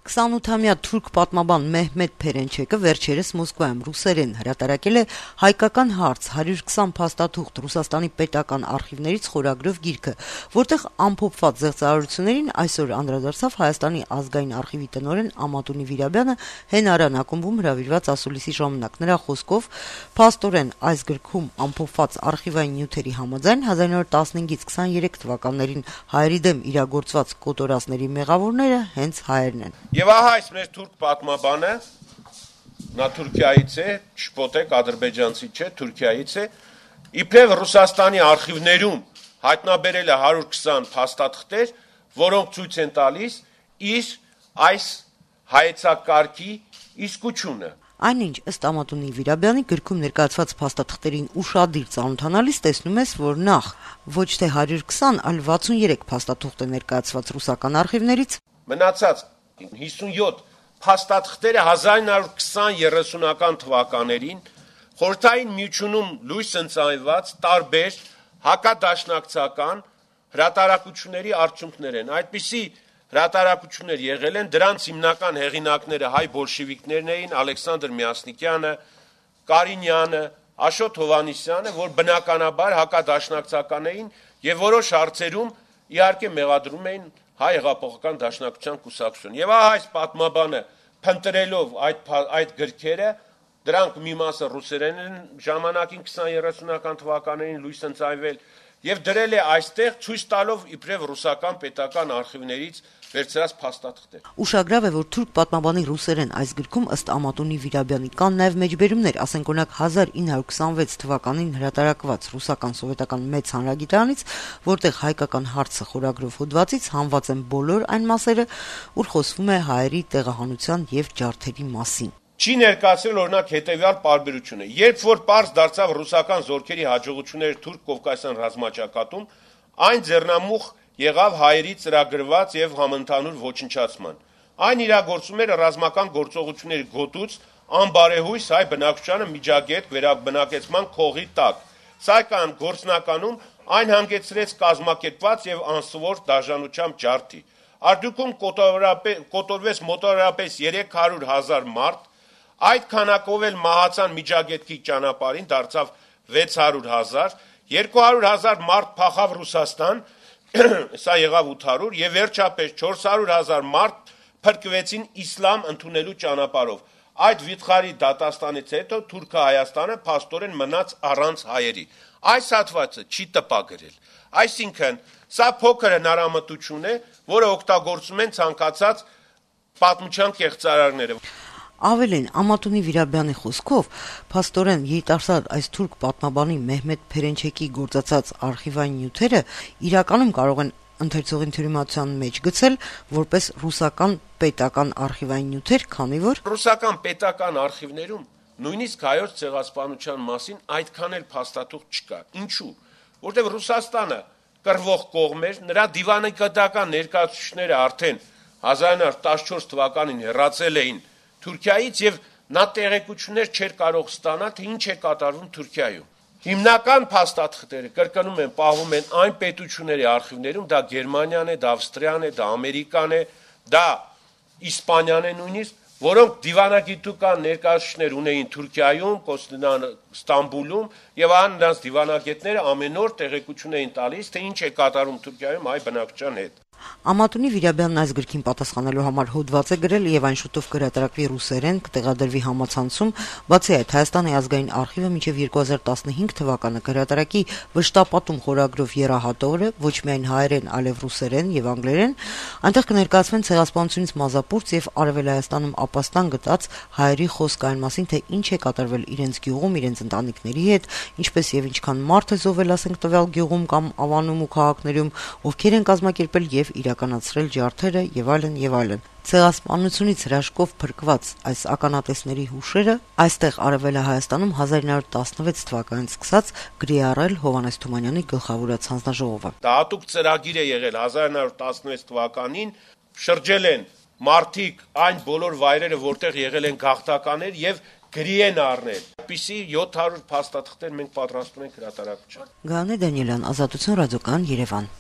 28-ամյա թուրք պատմաբան Մեհմեդ Փերենչեկը վերջերս Մոսկվայում ռուսերեն հրատարակել է «Հայկական հարց. 120 փաստաթուղթ Ռուսաստանի պետական արխիվներից» խորագրով գիրքը, որտեղ ամփոփված զեղծարարություններին այսօր անդրադարձավ Հայաստանի ազգային արխիվի տնօրեն Ամատունի Վիրաբյանը Հենարան ակումբում հրավիրված ասուլիսի ժամանակ։ Նրա խոսքով, փաստորեն այս գրքում ամփոփված արխիվային նյութերի համաձայն 1915-ից 23 թվականներին հայերի դեմ իրագործված կոտորածների մեղավորները հենց հայերն են։ Եվ ահա այս մեր թուրք պատմաբանը, նա Թուրքիայից է, չպոտեք, ադրբեջանցի չէ, Թուրքիայից է, իբրև Ռուսաստանի արխիվներում հայտնաբերել է 120 փաստաթղթեր, որոնք ցույց են տալիս իր այս հայեցակարգի իսկությունը։ Այնինչ, ըստ Ամատունի Վիրաբյանի, գրքում ներկայացված փաստաթղթերին ուշադիր ծանոթանալիս տեսնում ես, որ նախ ոչ թե 120, այլ 63 փաստաթուղթ է ներկայացված ռուսական արխիվներից, մնացած 57 փաստաթղթերը 1920-30-ական թվականներին Խորհրդային Միությունում լույս ընծայված տարբեր հակադաշնակցական հրատարակությունների արդյունքներ են։ Այդպիսի հրատարակություններ եղել են, դրանց հիմնական հեղինակները հայ բոլշևիկներն էին, Ալեքսանդր Միասնիկյանը, Կարինյանը, Աշոտ Հովհաննիսյանը, որ բնականաբար հակադաշնակցական էին եւ որոշ հարցերում իհարկե մեղադրում էին հայ հեղափոխական դաշնակցության կուսակցություն։ Եվ ահա այս պատմաբանը փնտրելով այդ գրքերը, դրանք մի մասը ռուսերեն են ժամանակին 20-30-ական թվականներին լույս ընծայվել եւ դրել է այստեղ ցույց տալով իբրև ռուսական պետական արխիվներից վերցրած փաստաթղթեր։ Ուշագրավ է, որ թուրք պատմաբանի ռուսերեն այս գրքում ըստ Ամատունի Վիրաբյանի կան նաեւ մեջբերումներ, ասենք օրինակ 1926 թվականին հրատարակված ռուսական սովետական մեծ հանրագիտարանից, որտեղ հայկական հարցը խորագրով հոդվածից հանված են բոլոր այն մասերը, ուր խոսվում է հայերի տեղահանության եւ ջարդերի մասին։ Չի ներկայացրել օրինակ հետեւյալ պարբերությունը. երբ որ պարզ դարձավ ռուսական զորքերի հաջողությունները թուրք կովկասյան ռազմաճակատում, այն ձեռնամուխ եղավ հայերի ծրագրված եւ համընդհանուր ոչնչացման։ Այն իրագործում էր ռազմական գործողությունների գոտուց անբարեհույս հայ բնակչությանը միջագետ վերաբնակեցման քողի տակ։ Սակայն գործնականում այն հանգեցրեց կազմակերպված եւ անսովոր դաժանությամբ ջարդի։ Արդյունքում կոտորվեց մոտավորապես 300,000 մարդ, այդ քանակով էլ մահացան միջագետքի ճանապարհին, դարձավ 600,000, 200,000 մարդ փախավ Ռուսաստան, սա եղավ 800, եւ վերջապես 400,000 մարդ փրկվեցին իսլամ ընդունելու ճանապարհով։ Այդ վիթխարի դատաստանից հետո Թուրքը Հայաստանը փաստորեն մնաց առանց հայերի։ Այս հատվածը չի տպագրել։ Այսինքն, սա փոքր հնարամտություն է, որը օգտագործում են ցանկացած պատմության կեղծարարները։ Ավելին, Ամատունի Վիրաբյանի խոսքով, փաստորեն երիտասարդ այս թուրք պատմաբանի Մեհմեդ Փերենչեկի գործածած արխիվային նյութերը իրականում կարող են ընթերցողին թյուրիմացության մեջ գցել որպես ռուսական պետական արխիվային նյութեր, քանի որ ռուսական պետական արխիվներում նույնիսկ հայոց ցեղասպանության մասին այդքան էլ փաստաթուղթ չկա։ Ինչու՞։ Որտեղ Ռուսաստանը կռվող կողմ էր, նրա դիվանագիտական ներկայացուցիչները արդեն 1914 թվականին հեռացել էին Թուրքիայից եւ նա տեղեկություններ չէր կարող ստանալ, թե ինչ է կատարվում Թուրքիայում։ Հիմնական փաստաթղթերը կրկնում են, պահվում են այն պետությունների արխիվներում, դա Գերմանիան է, դա Ավստրիան է, դա Ամերիկան է, դա Իսպանիան է նույնիսկ, որոնք դիվանագիտական ներկայացուցիչներ ունեին Թուրքիայում, Ստամբուլում եւ նրանց դիվանագետները ամեն օր տեղեկություն էին տալիս, թե ինչ է կատարում Թուրքիայում հայ բնակչության հետ։ Ամատունի Վիրաբյանն այս գրքին պատասխանելու համար հոդված է գրել եւ այն շուտով կհրատարակվի ռուսերեն, կտեղադրվի համացանցում։ Բացի այդ, Հայաստանի ազգային արխիվը մինչեւ 2015 թվականը կհրատարակի վշտապատում խորագրով եռահատորը, ոչ միայն հայերեն, այլև ռուսերեն եւ անգլերեն, այնտեղ կներկայացվեն ցեղասպանությունից մազապուրց եւ Արևել Հայաստանում ապաստան գտած հայերի խոսք այն մասին, թե ինչ է կատարվել իրենց գյուղում, իրենց ընտանիքների հետ, ինչպես եւ ինչքան մարդ է զոհվել, ասենք տվյալ գյուղում կամ ավանում ու քաղաքներում, ովքեր են կազմակերպել եւ իրականացրել ջարդերը եւ այլն եւ այլն։ Ցեղասպանությունից հրաշքով փրկված այս ականատեսների հուշերը այստեղ Արևելա Հայաստանում 1916 թվականից սկսած գրի առել Հովհաննես Թումանյանի գլխավորած հանձնաժողովը։ Դա հատուկ ծրագիր է եղել 1916 թվականին, շրջել են մարդիկ այն բոլոր վայրերը, որտեղ եղել են գաղթականներ եւ գրի են առնել։ Այսպիսի 700 փաստաթղթեր մենք պատրաստում ենք հրատարակության։ Գանե Դանիելյան, Ազատություն ռադիոկայան, Երևան։